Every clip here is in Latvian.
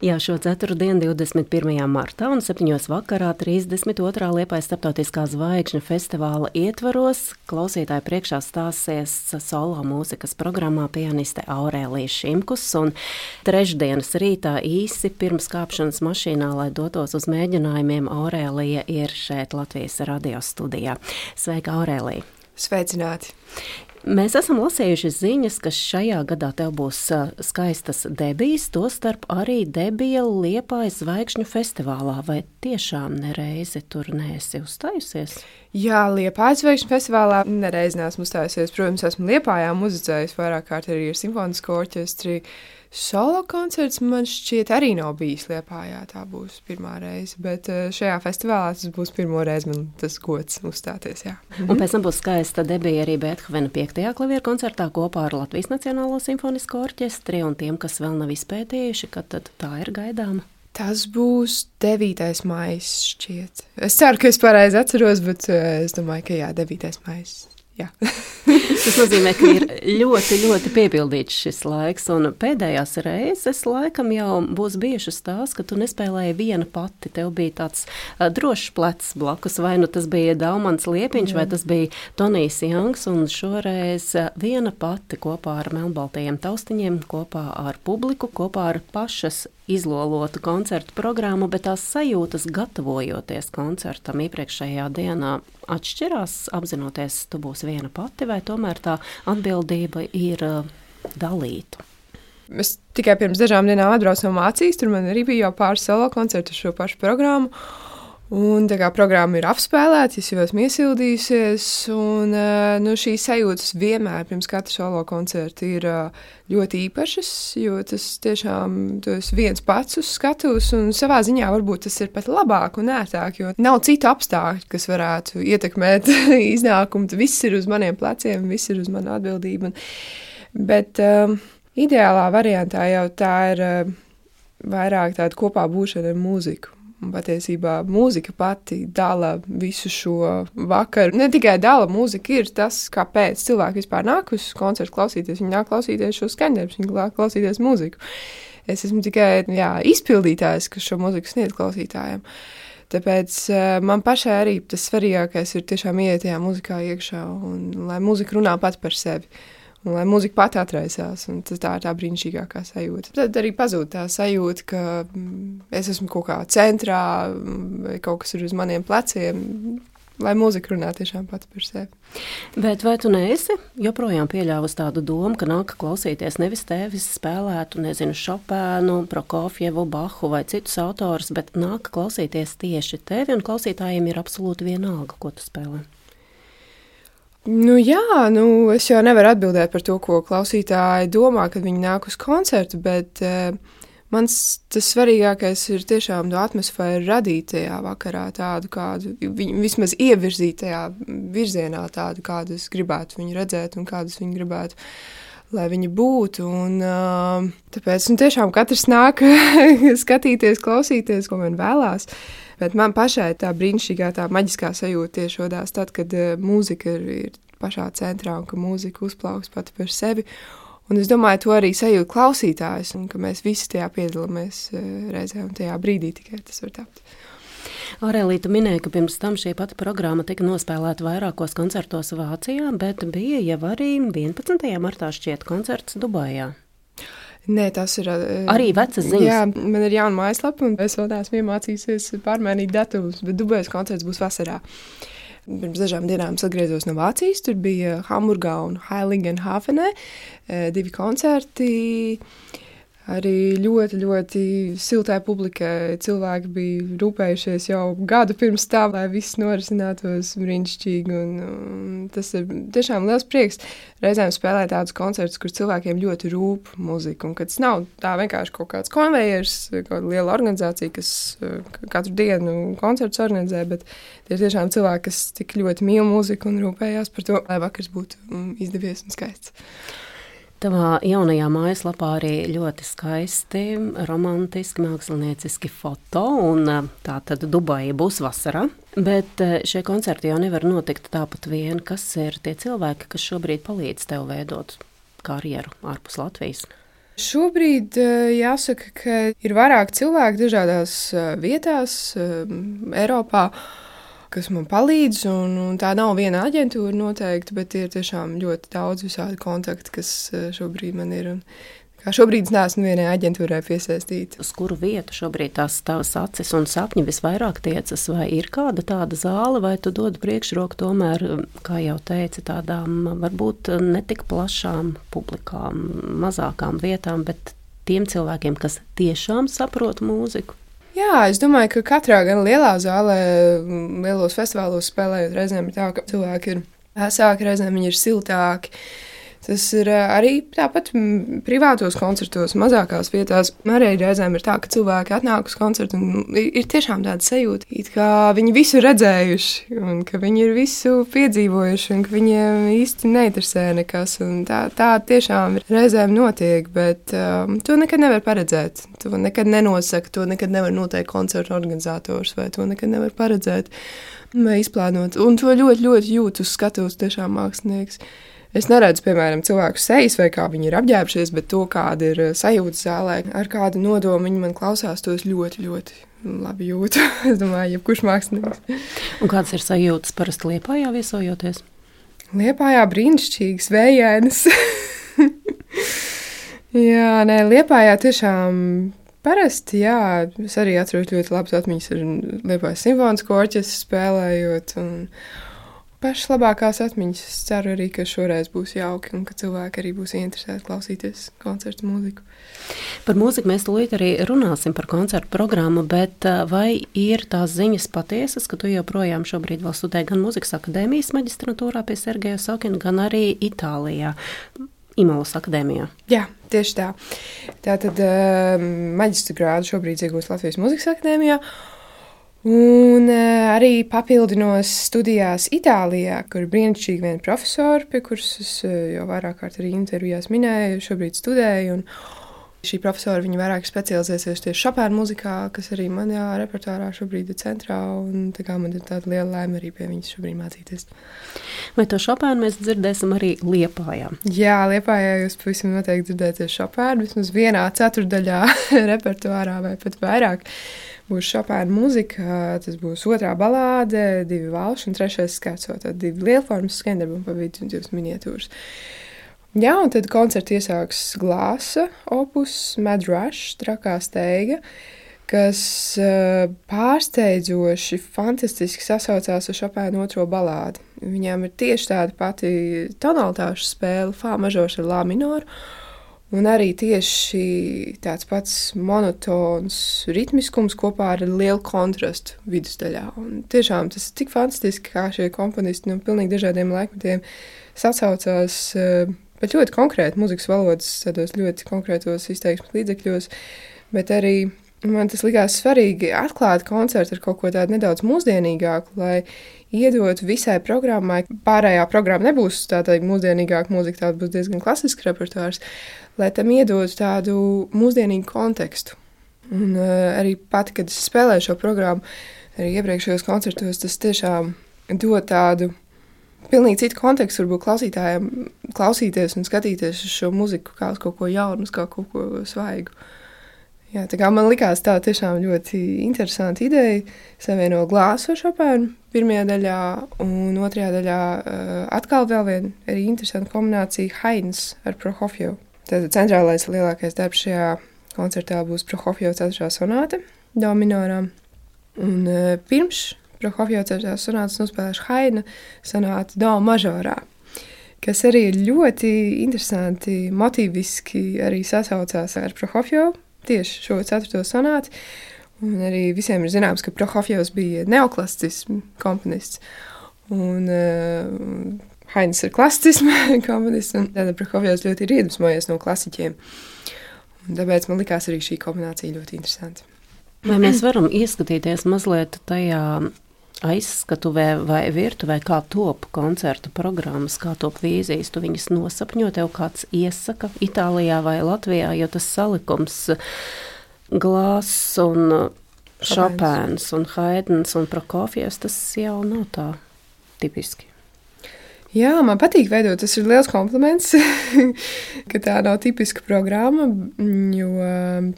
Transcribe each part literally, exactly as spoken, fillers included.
Jā, šo ceturtdienu, divdesmit pirmajā martā un septiņos vakarā, trīsdesmit otrā Liepājas starptautiskā zvaigžņu festivāla ietvaros, klausītāju priekšā stāsies solo mūzikas programmā pianiste Aurēlija Šimkus, un trešdienas rītā īsi pirms kāpšanas mašīnā, lai dotos uz mēģinājumiem, Aurēlija ir šeit Latvijas radio studijā. Sveika, Aurēlija! Sveicināti! Mēs esam lasījuši ziņas, ka šajā gadā tev būs skaistas debijas, tostarp arī debija Liepājas zvaigžņu festivālā. Vai tiešām nereizi tur neesi uzstājusies? Jā, Liepājas zvaigžņu festivālā nereizi neesmu uzstājusies. Protams, esmu Liepājā muzicējusi vairāk kārt arī ar simfonisko orķestri. Solo koncerts man šķiet arī nav bijis Liepājā, tā būs pirmā reize, bet šajā festivālā tas būs pirmo reizi man tas gods uzstāties, jā. Un pēc tam būs skaista debija arī Beethovena piektajā klavieru koncertā kopā ar Latvijas Nacionālo simfonisko orķestri, un tiem, kas vēl nav izpētījuši, kad tad tā ir gaidāma? Tas būs devītais maijs šķiet. Es ceru, ka es pareizi atceros, bet es domāju, ka jā, devītais maijs. Jā. Tas nozīmē, ka ir ļoti, ļoti piepildīts šis laiks, un pēdējās reizes laikam jau būs bijušas tās, ka tu nespēlēji viena pati. Tev bija tāds uh, drošs plecs blakus, vai nu tas bija Daumans Liepiņš, vai tas bija Tonijs Jangs, un šoreiz viena pati kopā ar melnbaltajiem taustiņiem, kopā ar publiku, kopā ar pašas izlolotu koncertu programmu, bet tās sajūtas gatavojoties koncertam iepriekšējā dienā atšķirās, apzinoties, tu būsi viena pati, vai tomēr tā atbildība ir uh, dalīta? Es tikai pirms dažām dienām atbraucu no Mācijas, tur man arī bija jau pāris solo koncertu šo pašu programmu. Un tā kā programma ir apspēlēta, es jau esmu iesildījusies, un nu, šīs sajūtas vienmēr pirms katra solo koncerta ir ļoti īpašas, jo tas tiešām tu esi viens pats uz skatuves, un savā ziņā varbūt tas ir pat labāk un ērtāk, jo nav citu apstākļu, kas varētu ietekmēt iznākumu. Viss ir uz maniem pleciem, viss ir uz manu atbildību. Bet um, ideālā variantā jau tā ir uh, vairāk tāda kopā būšana ar mūziku. Un patiesībā mūzika pati dala visu šo vakaru. Ne tikai dala, mūzika ir tas, kāpēc cilvēki vispār nāk uz koncertu klausīties. Viņi nāk klausīties šo skaņdarbus, viņi nāk klausīties mūziku. Es esmu tikai jā, izpildītājs, kas šo mūziku sniedz klausītājiem. Tāpēc uh, man pašai arī tas svarīgākais ir tiešām iet tajā mūzikā iekšā, un lai mūzika runā pati par sevi. Un lai mūzika pati atraisās, un tas tā ir tā brīnišķīgākā sajūta. Tad arī pazūd tā sajūta, ka es esmu kaut kā centrā, vai kaut kas ir uz maniem pleciem, lai mūzika runā tiešām pati par sevi. Bet vai tu neesi joprojām pieļāvusi tādu domu, ka nāk klausīties nevis tevis spēlētu, nezinu, Šopēnu, Prokofjevu, Bahu vai citus autorus, bet nāk klausīties tieši tevi, un klausītājiem ir absolūti vienalga, ko tu spēlē? Nu jā, nu es jau nevaru atbildēt par to, ko klausītāji domā, kad viņi nāk uz koncertu, bet uh, mans tas svarīgākais ir tiešām to atmosfēru radīt tajā vakarā tādu, kādu, viņu vismaz ievirzīt tajā virzienā tādu, kādu es gribētu viņu redzēt un kādus viņi gribētu, lai viņi būtu. Un uh, tāpēc nu, tiešām katrs nāk skatīties, klausīties, ko man vēlās. Bet man pašai tā brīnišķīgā, tā maģiskā sajūta tieši rodās tad, kad uh, mūzika ir, ir pašā centrā un ka mūzika uzplauks pati par sevi. Un es domāju, to arī sajūt klausītājs un ka mēs visi tajā piedalāmies uh, reizē un tajā brīdī tikai tas var tapt. Aurēlija, tu minēji, ka pirms tam šī pati programma tika nospēlēta vairākos koncertos Vācijā, bet bija jau arī vienpadsmitajā martā šķiet koncerts Dubajā. Nē, tas ir arī vecas ziņas. Jā, man ir jauna mājaslapa, un es vēl neesmu iemācījusies pārmainīt datumus, bet Dubajas koncerts būs vasarā. Pirms dažām dienām es atgriezos no Vācijas, tur bija Hamburgā un Heiligenhafenē divi koncerti. Arī ļoti, ļoti siltai publikai cilvēki bija rūpējušies jau gadu pirms tā, lai viss norisinātos brīnišķīgi. Un, un tas ir tiešām liels prieks reizēm spēlēt tādus koncertus, kur cilvēkiem ļoti rūp muzika. Un kad tas nav tā vienkārši kaut kāds konvejers, kaut kāda liela organizācija, kas katru dienu koncertus organizē, bet tie ir tiešām cilvēki, kas tik ļoti mīl muziku un rūpējās par to, lai vakars būtu izdevies un skaists. Tavā jaunajā mājaslapā arī ļoti skaisti, romantiski, mākslinieciski foto, un tā tad Dubaja būs vasarā. Bet šie koncerti jau nevar notikt tāpat vien. Kas ir tie cilvēki, kas šobrīd palīdz tev veidot karjeru ārpus Latvijas? Šobrīd jāsaka, ka ir vairāk cilvēku dažādās vietās Eiropā, kas man palīdz, un, un tā nav viena aģentūra noteikti, bet ir tiešām ļoti daudz visādi kontakti, kas šobrīd man ir. Un kā šobrīd es neesmu vienai aģentūrai piesaistīta. Uz kuru vietu šobrīd tās tavas acis un sapņi visvairāk tiecas? Vai ir kāda tāda zāle, vai tu dod priekšroku tomēr, kā jau teici, tādām varbūt netik plašām publikām, mazākām vietām, bet tiem cilvēkiem, kas tiešām saprot mūziku? Jā, es domāju, ka katrā gan lielā zālē, lielos festivālos spēlējot, reizēm ir tā, ka cilvēki ir vēsāki, reizēm viņi ir siltāki. Tas ir arī tāpat privātos koncertos, mazākās vietās. Arī reizēm ir tā, ka cilvēki atnāk uz koncertu un ir tiešām tāda sajūta, it kā viņi visu ir redzējuši un ka viņi ir visu piedzīvojuši un ka viņiem īsti neinteresē nekas. Un tā, tā tiešām reizēm notiek, bet um, to nekad nevar paredzēt. To nekad nenosaka, to nekad nevar noteikt koncertu organizators vai to nekad nevar paredzēt vai izplānot. Un to ļoti, ļoti jūt uz skatuves tiešām mākslinieks. Es neredzu, piemēram, cilvēku sejas vai kā viņi ir apģērbušies, bet to, kāda ir sajūta zālē, ar kādu nodomu viņi man klausās, to es ļoti, ļoti labi jūtu. Es domāju, jebkurš mākslinieks. Un kādas ir sajūtas parasti Liepājā viesojoties? Liepājā brīnišķīgas, vējainas. Jā, nē, Liepājā tiešām parasti, jā, es arī atceros ļoti labas atmiņas ar Liepājas simfonisko orķestru spēlējot un pašas labākās atmiņas. Es ceru arī, ka šoreiz būs jauki un ka cilvēki arī būs interesēti klausīties koncertu mūziku. Par mūziku mēs tūlīt arī runāsim par koncertu programmu, bet vai ir tās ziņas patiesas, ka tu joprojām šobrīd vēl studē gan Mūzikas akadēmijas maģistratūrā pie Sergeja Sokina, gan arī Itālijā, Imolas akadēmijā? Jā, tieši tā. Tātad maģistra grādu šobrīd iegūst Latvijas Mūzikas akadēmijā. Un uh, arī papildinos studijās Itālijā, kur ir brīnišķīgi viena profesora, pie kuras es uh, jau vairāk kārt arī intervijās minēju, šobrīd studēju. Un šī profesora viņa vairāk specializēsies tieši Šopēna muzikā, kas arī manā repertuārā šobrīd ir centrā. Un tā kā man ir tāda liela laime arī pie viņas šobrīd mācīties. Vai to Šopēnu mēs dzirdēsim arī Liepājā? Jā, Liepājā jūs pavisam noteikti dzirdēsiet Šopēnu, vismaz vienā ceturdaļā repertuārā vai pat vairāk. Būs Šopēna mūzika, tas būs otrā balāde, divi valši un trešais skerco, tad divi lielformas skendarbi un pa vidu divas miniatūras. Jā, un tad koncertu iesāks Glāsa opus Mad Rush, trakā steiga, kas uh, pārsteidzoši fantastiski sasaucās ar Šopēna otro balādi. Viņām ir tieši tāda pati tonalitāšu spēle, fā mažors ar lā minoru. Un arī tieši tāds pats monotons ritmiskums kopā ar lielu kontrastu vidusdaļā. Un tiešām tas ir tik fantastiski, kā šie komponisti no pilnīgi dažādiem laikmetiem sasaucās, bet ļoti konkrēti muzikas valodas, tādos ļoti konkrētos izteiksmes līdzekļos, bet arī man tas likās svarīgi atklāt koncertu ar kaut ko tādu nedaudz mūsdienīgāku, lai iedot visai programmai. Pārējā programma nebūs tāda mūsdienīgāka mūzika, tāda būs diezgan klasisks repertuārs, lai tam iedot tādu mūsdienīgu kontekstu. Un uh, arī pati, kad es spēlēju šo programmu, arī iepriekšējos koncertos, tas tiešām dod tādu pilnīgi citu kontekstu, varbūt klausītājiem klausīties un skatīties uz šo muziku kā uz kaut ko jaunu, kā kaut ko svaigu. Jā, tā kā man likās tā tiešām ļoti interesanta ideja savieno Glāsu ar Šopēnu pirmajā daļā, un otrajā daļā uh, atkal vēl viena arī interesanta kombinācija Haydns ar Prokofjevu. Tātad centrālais lielākais darbs šajā koncertā būs Prokofjeva ceturtā sonāte do minorā. Un uh, pirms Prokofjeva ceturtā sonātes nospēlēšu Haydna sonāti do mažorā, kas arī ir ļoti interesanti, motīviski arī sasaucās ar Prokofjevu. Tieši šo ceturto sonāti, un arī visiem ir zināms, ka Prokofjevs bija neoklasicisms komponists, un uh, Haydns ir klasicisma komponists, un tāda Prokofjevs ļoti ir iedvesmojies no klasiķiem. Un tāpēc man likās arī šī kombinācija ļoti interesanta. Vai mēs varam ieskatīties mazliet tajā aizskatuvē vai virtuvē, kā top koncerta programmas, kā top vīzijas, tu viņas nosapņo, tev kāds iesaka Itālijā vai Latvijā, jo tas salikums Glāss un Šopēns un Haydns un Prokofjevs, tas jau nav tā tipiski. Jā, man patīk veidot. Tas ir liels kompliments, ka tā nav tipiska programma, jo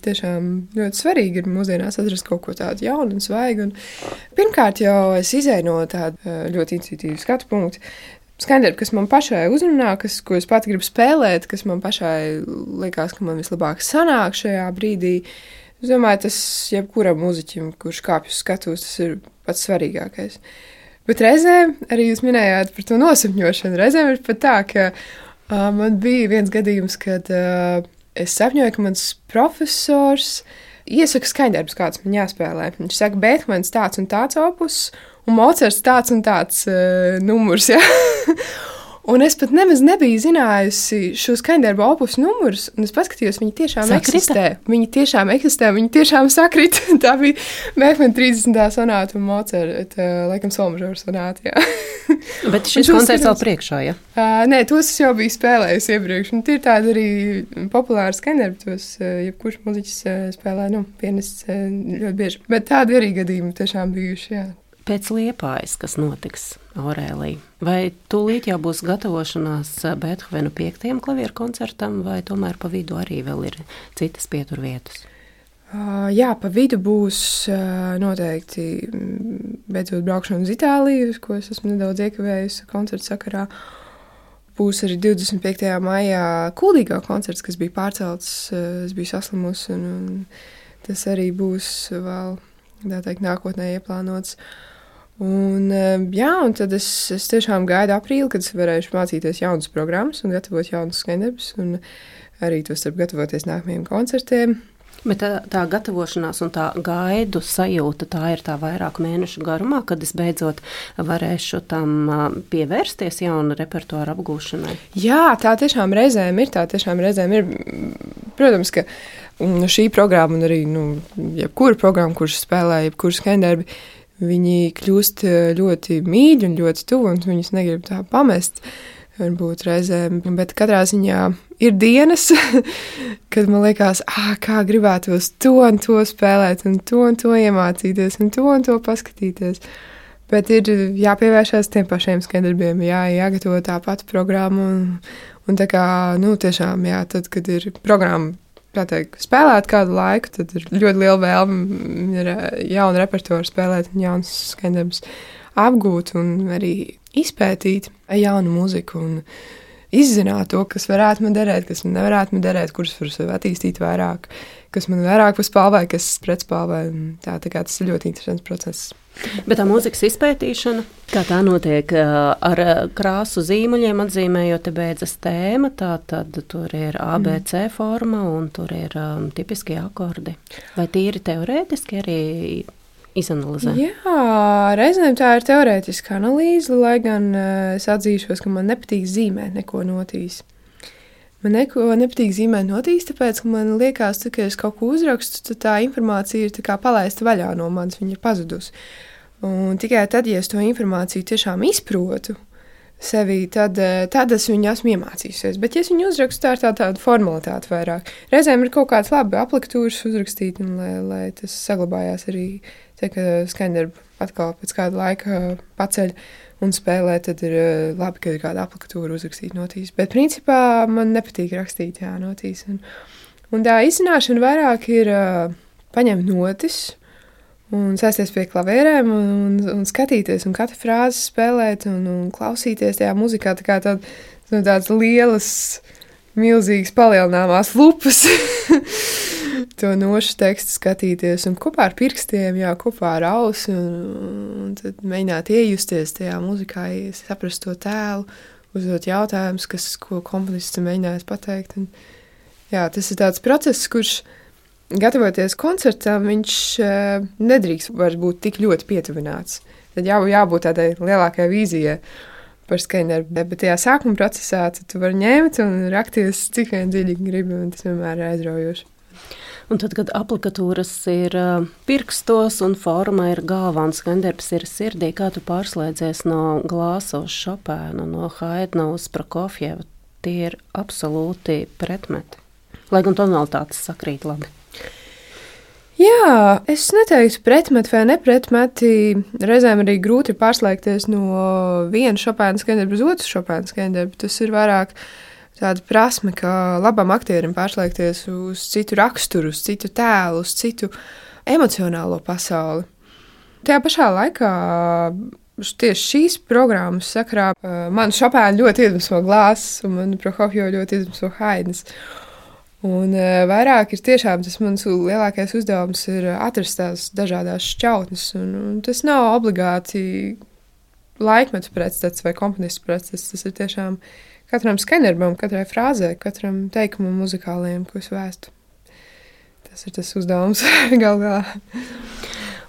tiešām ļoti svarīgi ir mūsdienās atrast kaut ko tādu jaunu un svaigu. Un pirmkārt jau es izēju no tāda ļoti intuitīva skatu punkta. Skaņdarbi, kas man pašai uzrunā, kas, ko es pati gribu spēlēt, kas man pašai liekas, ka man vislabāk sanāk šajā brīdī. Es domāju, tas jebkuram mūziķim, kurš kāpj uz skatuves, tas ir pats svarīgākais. Bet reizēm arī jūs minējāt par to nosapņošanu. Reizēm ir pat tā, ka uh, man bija viens gadījums, kad uh, es sapņoju, ka mans profesors iesaka skaņdarbus, kāds man jāspēlē. Viņš saka, Beethovens tāds un tāds opus, un Mocarts tāds un tāds uh, numurs. Ja? Un es pat nemaz nebiju zinājusi šo skaņdarbu opus numurus, un es paskatījos, viņi tiešām Sakrita? eksistē. Viņi tiešām eksistē, viņi tiešām sakrit. Tā bija Beethovena trīsdesmitā sonāta un Mocarta, laikam, solmažora sonāta, jā. Bet šis koncerts vēl priekšā, ja? Uh, nē, tos es jau biju spēlējusi iepriekš, un tie ir tādi arī populāri skaņdarbi, tos uh, jebkurš muziķis uh, spēlē, nu, pianists uh, ļoti bieži. Bet tādi arī gadījumi tiešām bijuši, jā. Pēc Liepājas, kas notiks, Aurēlija, vai tūlīt jau būs gatavošanās Beethovena piektajam klavieru koncertam, vai tomēr pa vidu arī vēl ir citas pieturvietas? Uh, jā, pa vidu būs uh, noteikti beidzot braukšana uz Itāliju, ko es esmu nedaudz iekavējusi koncerta sakarā. Būs arī divdesmit piektajā maijā Kuldīgā koncerts, kas bija pārcelts, uh, es biju saslimusi, un, un tas arī būs vēl, tā teikt, nākotnē ieplānots. Un, jā, un tad es, es tiešām gaidu aprīli, kad es varēšu mācīties jaunas programmas un gatavot jaunas skaņdarbus, un arī to starp gatavoties nākamajiem koncertiem. Bet tā, tā gatavošanās un tā gaidu sajūta, tā ir tā vairāku mēnešu garumā, kad es beidzot varēšu tam pievērsties jauna repertuāra apgūšanai? Jā, tā tiešām reizēm ir, tā tiešām reizēm ir. Protams, ka šī programma un arī, nu, jebkura programma, kurš spēlē, jebkura skaņdarbi, viņi kļūst ļoti mīļi un ļoti tuvi, un viņus negrib tā pamest, varbūt reizēm. Bet katrā ziņā ir dienas, kad man liekas, ah, kā gribētos to un to spēlēt, un to un to iemācīties, un to un to paskatīties. Bet ir jāpievēršās tiem pašiem skaņdarbiem, jā, jāgatavo tā pati programma, un, un tā kā, nu, tiešām, jā, tad, kad ir programma, kā teikt, spēlēt kādu laiku, tad ir ļoti liela vēlme ir jaunu repertuāru spēlēt un jaunas skaņdarbus apgūt un arī izpētīt jaunu muziku un izzināt to, kas varētu man derēt, kas man nevarētu man derēt, kurus var sev attīstīt vairāk, kas man vairāk paspalvē, kas pretspalvē. Tā, tā kā tas ir ļoti interesants process. Bet tā mūzikas izpētīšana, kā tā notiek ar krāsu zīmuļiem, atzīmējot te beidzas tēma, tā tad tur ir A B C forma un tur ir um, tipiskie akordi. Vai tīri teorētiski arī izanalizē? Jā, reizēm tā ir teorētiska analīze, lai gan uh, es atzīšos, ka man nepatīk zīmēt neko notīs. Man neko nepatīk zīmēt notīs, tāpēc, ka man liekas, tā, ka es kaut ko uzrakstu, tad tā informācija ir tā kā palaista vaļā no manis, viņa ir pazudusi. Un tikai tad, ja es to informāciju tiešām izprotu sevī, tad, tad es viņu esmu iemācījusies. Bet, ja es viņu uzrakstu, tā ir tā, tāda formalitāte vairāk. Reizēm ir kaut kāds labi apliktūras uzrakstīt, un lai, lai tas saglabājās arī, te, ka skaņdarbu atkal pēc kāda laika paceļ un spēlē, tad ir labi, ka ir kāda aplikatūra uzrakstīt notīs. Bet principā man nepatīk rakstīt, jā, notīs. Un, un tā izzināšana vairāk ir uh, paņemt notis un sēsties pie klavierēm un, un, un skatīties un katru frāzi spēlēt un, un klausīties tajā muzikā tā kā tād, tādas lielas, milzīgas palielināmās lupas. To nošu tekstu skatīties un kopā ar pirkstiem, jā, kopā ar ausi un, un tad mēģināt iejusties tajā muzikā, saprast to tēlu, uzdot jautājumus, kas, ko komponists mēģinājis pateikt. Un, jā, tas ir tāds process, kurš gatavoties koncertam, viņš uh, nedrīkst vairs būt tik ļoti pietuvināts. Tad jā, jābūt tādai lielākai vīzijai par skaņdarbu. Bet tajā sākuma procesā tu vari ņemt un rakties cik vien dziļi gribi, un tas vienmēr ir aizraujoši. Un tad, kad aplikatūras ir uh, pirkstos un forma ir galvā un skaņdarbs ir sirdī, kā tu pārslēdzies no Glāsa uz Šopēnu, no Haidna uz Prokofjevu, tie ir absolūti pretmeti. Lai gan tonalitātes sakrīt labi. Jā, es neteiktu pretmeti vai nepretmeti. Reizēm arī grūti pārslēgties no viena Šopēna skaņdarba uz otru Šopēna skaņdarbu. Tas ir vairāk tāda prasme, kā labam aktierim pārslēgties uz citu raksturu, uz citu tēlu, uz citu emocionālo pasauli. Tajā pašā laikā tieši šīs programmas sakarā man Šopēna ļoti iedvesmo Glāzs un man Prokofjevu ļoti iedvesmo Haidns. Un uh, vairāk ir tiešām tas mans lielākais uzdevums ir atrast tās dažādās šķautnes, un, un tas nav obligāti laikmetu pretstats vai komponistu pretstats, tas ir tiešām katram skaņdarbam, katrai frāzē, katram teikumam muzikālajiem, ko es vēstu. Tas ir tas uzdevums gal galā.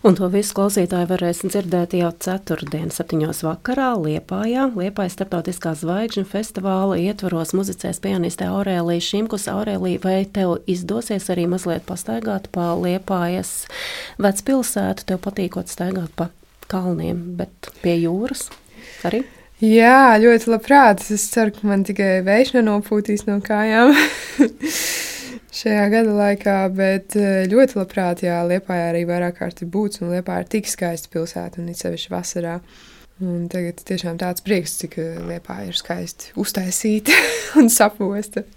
Un to visu klausītāji varēs dzirdēt jau ceturtdien, septiņos vakarā Liepājā. Liepājas Starptautiskā zvaigžņu festivāla ietvaros muzicēs pianiste Aurēlija Šimkus. Aurēlija, vai tev izdosies arī mazliet pastaigāt pa Liepājas vecpilsētu? Tev patīkot staigāt pa kalniem, bet pie jūras arī? Jā, ļoti labprāt. Es ceru, ka man tikai vējš nenopūtīs no kājām šajā gada laikā, bet ļoti labprāt, jā, Liepājā arī vairāk kārti būts, un Liepāja ir tik skaista pilsēta, un it sevišķi vasarā. Un tagad tiešām tāds prieks, cik Liepāja ir skaisti uztaisīta un saposta.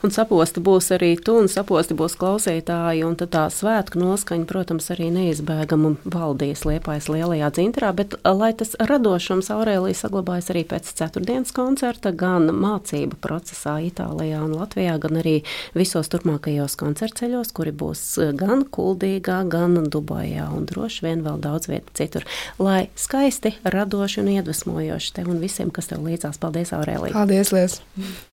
Un saposti būs arī tu, un saposti būs klausītāji, un tad tā svētku noskaņa, protams, arī neizbēgama valdīs Liepājas lielajā dzintarā, bet lai tas radošums Aurēlija saglabājas arī pēc ceturtdienas koncerta, gan mācību procesā Itālijā un Latvijā, gan arī visos turpmākajos koncertceļos, kuri būs gan Kuldīgā, gan Dubajā, un droši vien vēl daudz vietu citur. Lai skaisti, radoši un iedvesmojoši tev un visiem, kas tev līdzās. Paldies, Aurēlija! Paldies, Lies!